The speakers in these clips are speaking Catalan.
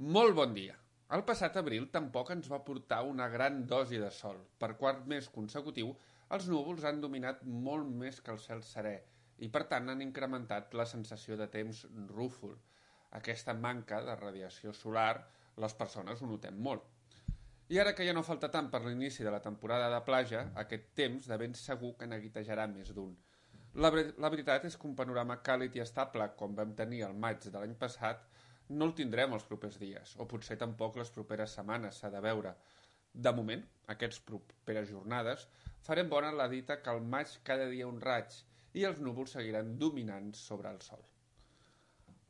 Molt bon dia. El passat abril tampoc ens va portar una gran dosi de sol. Per quart mes consecutiu, els núvols han dominat molt més que el cel serè i, per tant, han incrementat la sensació de temps rúfol. Aquesta manca de radiació solar, les persones ho notem molt. I ara que ja no falta tant per l'inici de la temporada de platja, aquest temps de ben segur que neguitejarà més d'un. La veritat és que un panorama càlid i estable, com vam tenir el maig de l'any passat, no el tindrem els propers dies, o potser tampoc les properes setmanes, s'ha de veure. De moment, aquestes properes jornades, farem bona la dita que al maig cada dia un raig i els núvols seguiran dominant sobre el sol.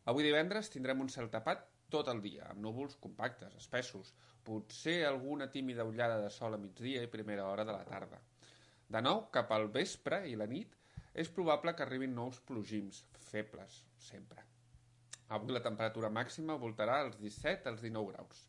Avui divendres tindrem un cel tapat tot el dia, amb núvols compactes, espessos, potser alguna tímida ullada de sol a migdia i primera hora de la tarda. De nou, cap al vespre i la nit, és probable que arribin nous plogims, febles, sempre. Avui la temperatura màxima voltarà als 17 als 19 graus.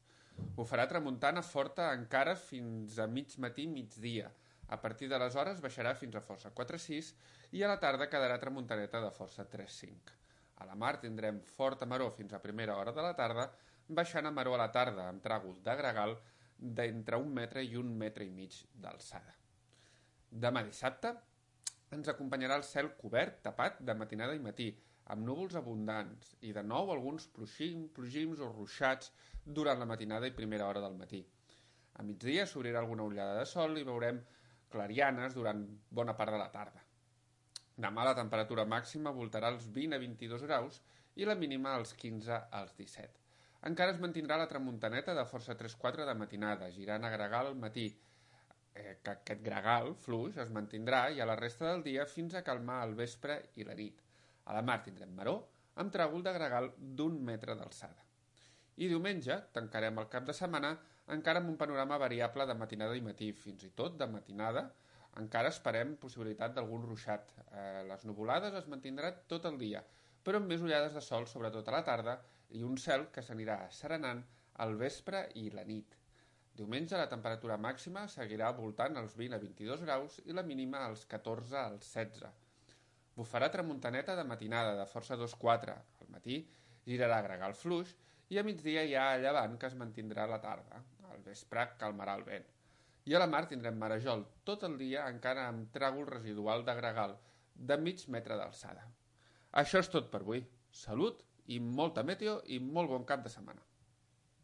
Ho farà tramuntana forta encara fins a mig matí migdia. A partir d'aleshores baixarà fins a força 4-6 i a la tarda quedarà tramuntaneta de força 3-5. A la mar tindrem forta maró fins a primera hora de la tarda, baixant a maró a la tarda amb tràgol de gregal d'entre 1 metre i 1 metre i mig d'alçada. Demà dissabte ens acompanyarà el cel cobert, tapat, de matinada i matí, amb núvols abundants i de nou alguns plogims o ruixats durant la matinada i primera hora del matí. A migdia s'obrirà alguna ullada de sol i veurem clarianes durant bona part de la tarda. Demà la temperatura màxima voltarà als 20 a 22 graus i la mínima als 15 als 17. Encara es mantindrà la tramuntaneta de força 3-4 de matinada, girant a gregal al matí, que aquest gregal fluix es mantindrà i a la resta del dia fins a calmar al vespre i la nit. A la mar tindrem maró amb tràgol de gregal d'1 metre d'alçada. I diumenge tancarem el cap de setmana encara amb un panorama variable de matinada i matí, fins i tot de matinada encara esperem possibilitat d'algun ruixat. Les nuvolades es mantindran tot el dia, però amb més ullades de sol sobretot a la tarda i un cel que s'anirà asserenant al vespre i la nit. Diumenge la temperatura màxima seguirà voltant als 20 a 22 graus i la mínima als 14 als 16. Bufarà tramuntaneta de matinada de força 2-4. Al matí girarà gregal fluix i a migdia hi ha a llevant que es mantindrà a la tarda. Al vespre calmarà el vent. I a la mar tindrem marejol tot el dia encara amb tràgol residual de gregal de mig metre d'alçada. Això és tot per avui. Salut i molta meteo i molt bon cap de setmana.